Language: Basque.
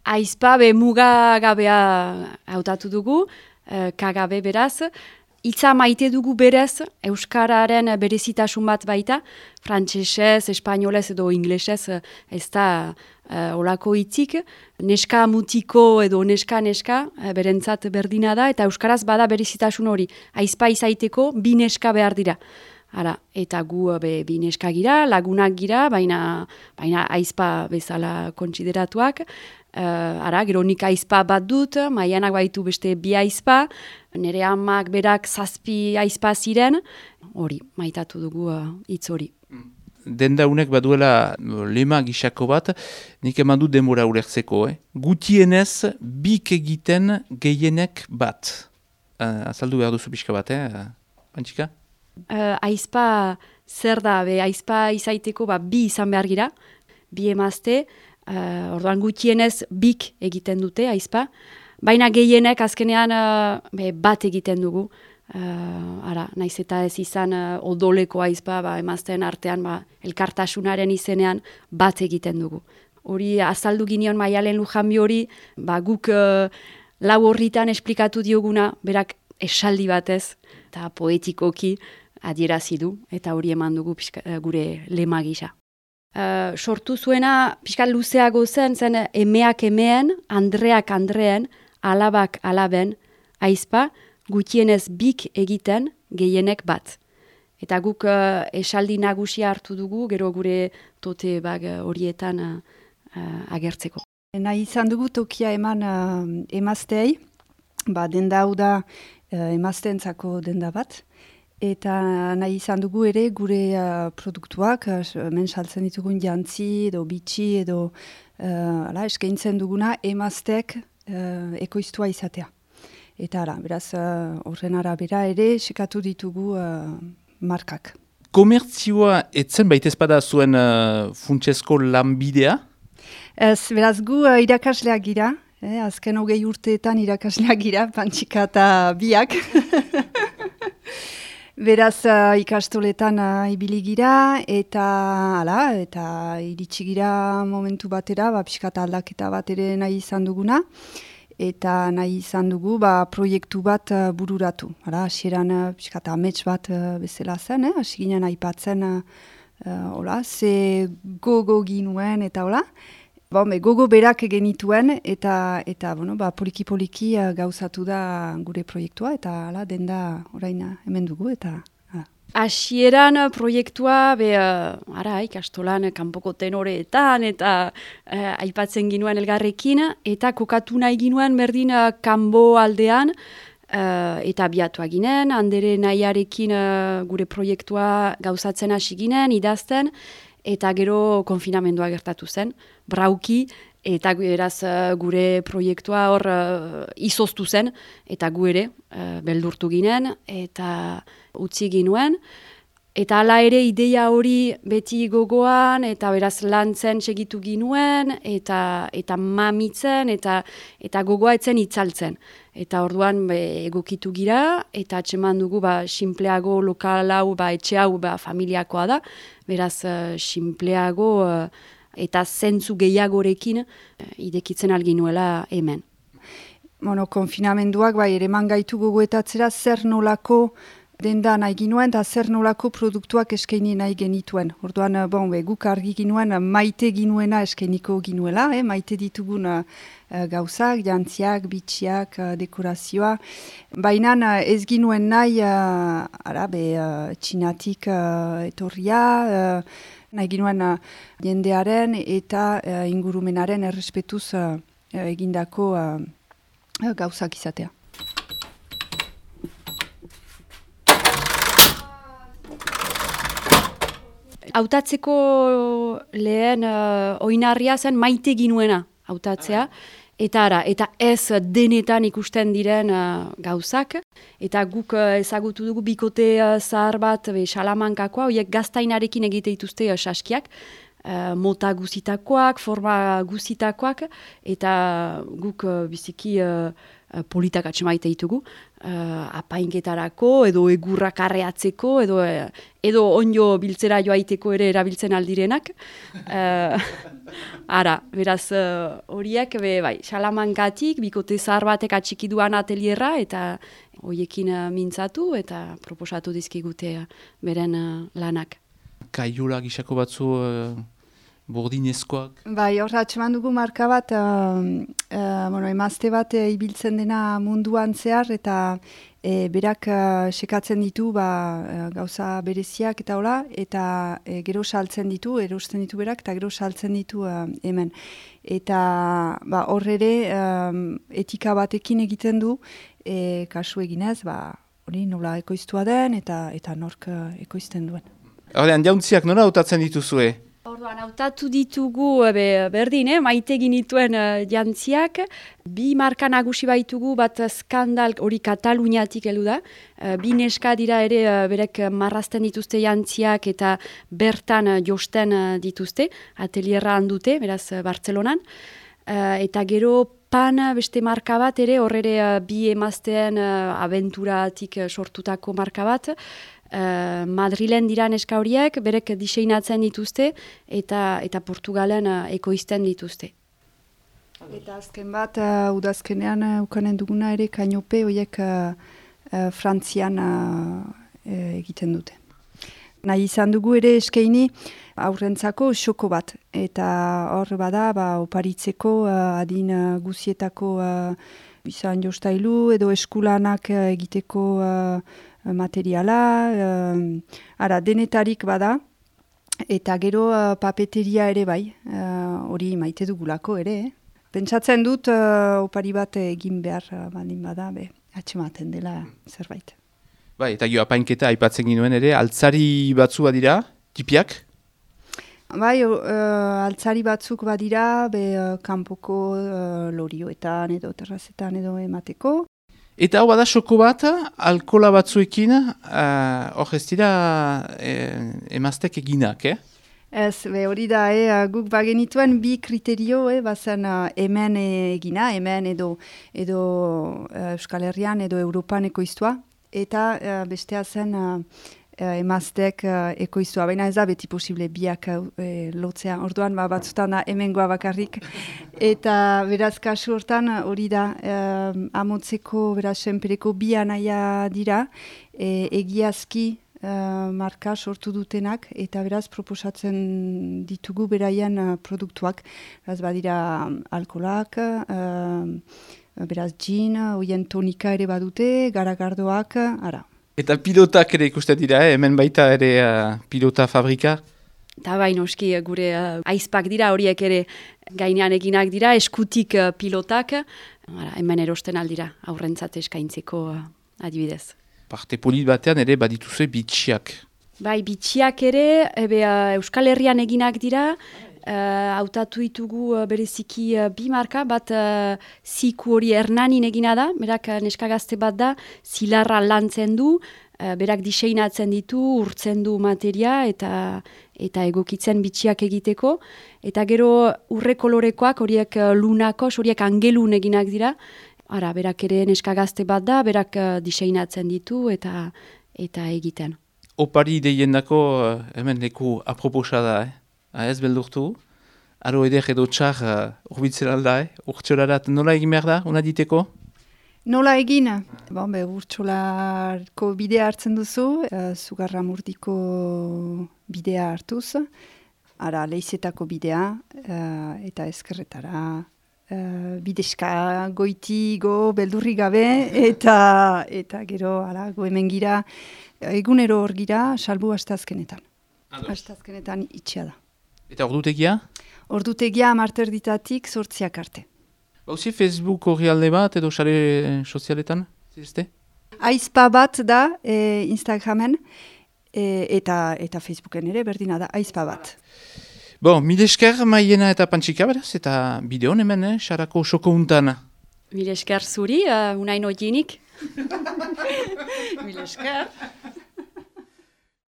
Aizpa mugagabea hautatu dugu, kagabe beraz. Hitza maite dugu berez, euskararen berezitasun bat baita, frantsesez, espainolez edo inglesez ez da olako hitzik. Neska mutiko edo neska berentzat berdina da, eta euskaraz bada berezitasun hori. Aizpa izaiteko bi neska behar dira. Eta gu bi neska gira, lagunak gira, baina aizpa bezala kontsideratuak. Gero nik aizpa bat dut, Maianak baitu beste bi aizpa, nire amak berak 7 aizpa ziren, hori, maitatu dugu hitz hori. Denda unek baduela lema gisako bat, nik eman du denbora ulertzeko. Gutienez, bik egiten gehienek bat. Azaldu behar duzu pixka bat, Antxika? Aizpa zer da, aizpa izaiteko bi izan behar gira, bi emazte, orduan gutienez bik egiten dute aizpa, baina gehienek azkenean bat egiten dugu. Naiz eta ez izan odoleko aizpa, emazteen artean elkartasunaren izenean bat egiten dugu. Hori azaldu ginion Maialen Lujanbi hori, guk lau horritan esplikatu dioguna, berak esaldi batez, eta poetikoki adierazi du, eta hori eman dugu gure lema gisa. Sortu zuena pixkat luzeago zen emeak emeen, andreak andreen, alabak alaben, aizpa, gutienez bik egiten gehienek bat. Eta guk esaldi nagusia hartu dugu, gero gure tote horietan agertzeko. Nahi izan dugu tokia eman emazteei, denda hau da emazteentzako denda bat, eta nahi izan dugu ere gure produktuak, hemen saltzen ditugun jantzi edo bitxi edo eskaintzen duguna emazteek ekoiztua izatea. Eta beraz horren arabera ere sekatu ditugu markak. Komertzioa etzen baitezpada zuen funtsezko lanbidea? Beraz gu irakasleak gira, azken 20 urteetan irakasleak gira, Pantxika eta biak. Beraz ikastoletan ibili gira eta iritsi gira momentu batera, pixkat aldaketa bat ere nahi izan duguna. Eta nahi izan dugu proiektu bat bururatu. Hasieran pixkat amets bat bezala zen, hasi ginen aipatzen ze gogo ginuen eta hola. Gogo berak genituen eta poliki-poliki gauzatu da gure proiektua eta denda orain hemen dugu eta... Hasieran proiektua ikastolan kanpoko tenoreetan eta aipatzen ginuen elgarrekin eta kokatu nahi ginuen berdin kanbo aldean eta biatua ginen, handere nahiarekin gure proiektua gauzatzen hasi ginen, idazten, eta gero konfinamendua gertatu zen, brauki, eta eraz gure proiektua hor izoztu zen, eta gu ere beldurtu ginen, eta utzi ginuen. Eta hala ere ideia hori beti gogoan, eta beraz lantzen segitu ginuen, eta mamitzen, eta gogoa etzen itzaltzen. Eta orduan egokitu gira, eta atseman dugu sinpleago lokal hau, etxe hau familiakoa da, beraz sinpleago eta zentzu gehiagorekin idekitzen alginuela hemen. Konfinamenduak ere eman gaitu gogoetatzera zer nolako denda nahi ginuen eta zer nolako produktuak eskaini nahi genituen. Orduan, guk argi ginuen maite ginuena eskainiko ginuela, maite ditugun gauzak, jantziak, bitxiak, dekorazioa. Baina ez ginuen nahi txinatik etorria, nahi ginuen jendearen eta ingurumenaren errespetuz egindako gauzak izatea. Hautatzeko lehen oinarria zen maite ginuena hautatzea, eta ez denetan ikusten diren gauzak, eta guk ezagutu dugu bikote zahar bat Salamankakoa, horiek gaztainarekin egite dituzte saskiak, mota guzitakoak, forma guzitakoak, eta guk biziki politak atxemaite ditugu, apainketarako, edo egurrak arreatzeko, edo onjo biltzera joaiteko ere erabiltzen aldirenak. Ara, beraz, horiek, bai, Salamankatik, bikote zahar batek atxikiduan atelierra, eta horiekin mintzatu, eta proposatu dizkigute beren lanak. Kaiola gisako batzu bordinezkoak? Bai, hor atxeman dugu marka bat, emazte bat ibiltzen dena munduan zehar, eta berak sekatzen ditu gauza bereziak eta hola, eta gero saltzen ditu, erosten ditu berak, eta gero saltzen ditu hemen. Eta hor ere etika batekin egiten du, kasu eginez, hori nola ekoiztua den, eta nork ekoizten duen. Horrean, jauntziak nola hautatzen dituzue? Orduan, hautatu ditugu berdin, maite ginituen jantziak, bi marka nagusi baitugu, bat skandal hori Kataluniatik heldu da, bi neska dira ere berek marrazten dituzte jantziak eta bertan josten dituzte, atelierra handute, beraz Bartzelonan, eta gero Pan beste marka bat ere, horre bi emazteen abenturatik sortutako marka bat, Madrilen dira neska horiek, berek diseinatzen dituzte eta Portugalen ekoizten dituzte. Eta azken bat, udazkenean ukanen duguna ere kainope horiek Frantzian egiten dute. Nahi izan dugu ere eskaini aurrentzako xoko bat. Eta hor bada, oparitzeko adin guzietako izan jostailu edo eskulanak egiteko materiala, denetarik bada, eta gero papeteria ere bai, hori maite dugulako ere. Pentsatzen dut opari bat egin behar baldin bada, atxematen dela zerbait. Bai, eta apainketa aipatzen ginuen ere, altzari batzu badira, tipiak? Bai, altzari batzuk badira, kanpoko lorioetan edo terrazetan edo emateko. Eta hau bada xoko bat, alkola batzuekin, hor ez dira emaztek eginak, Ez, hori da, guk bagenituen bi kriterio, bazen hemen egina, hemen edo Euskal Herrian edo Europan ekoiztua, eta bestea zen emaztek ekoiztua. Baina ez da beti posible biak lotzea. Orduan batzutan da hemengoa bakarrik. Eta beraz kasu hortan hori da amotzeko beraz senpereko bi anaia dira egiazki marka sortu dutenak eta beraz proposatzen ditugu beraien produktuak. Beraz badira alkolak, beraz gin, oien tonika ere badute, garagardoak, ara. Eta pilotak ere ikusten dira, hemen baita ere pilota fabrika? Eta bai, noski gure aizpak dira, horiek ere gainean eginak dira, eskutik pilotak, hemen erosten aldira, aurrentzat eskaintzeko adibidez. Parte polit batean ere badituzue bitxiak. Bai, bitxiak ere, Euskal Herrian eginak dira, hautatu ditugu bereziki bi marka, bat ziku hori Hernanin egina da, berak neska gazte bat da, zilarra lantzen du, berak diseinatzen ditu, urtzen du materia eta egokitzen bitxiak egiteko. Eta gero urre kolorekoak, horiek lunakos, horiek angelun eginak dira, berak ere neska gazte bat da, berak diseinatzen ditu eta egiten. Opari deiendako hemen leku aproposa da, ez beldurtu? Aro eder edo txar urbitzen alda, urtxolarat nola egin behar da, una diteko? Nola egin? Urtxolarko bidea hartzen duzu, Zugarra Murdiko bidea hartuz, Leizetako bidea eta ezkerretara. Bideska goitigo beldurri gabe eta gero go hemen gira egunero hor gira salbu astazkenetan. Astazkenetan itxia da. Eta ordutegia? Ordutegia 10:00 8:00 arte. Bauzi Facebook horri alde bat edo sare sozialetan? Zizte? Aizpa bat da Instagramen eta Facebooken ere berdina da aizpa bat. Bon, mile esker Maiena eta Pantxika beraz, eta bideon hemen, xarako xoko untan. Mile esker zuri, unaino jinik. Mile esker.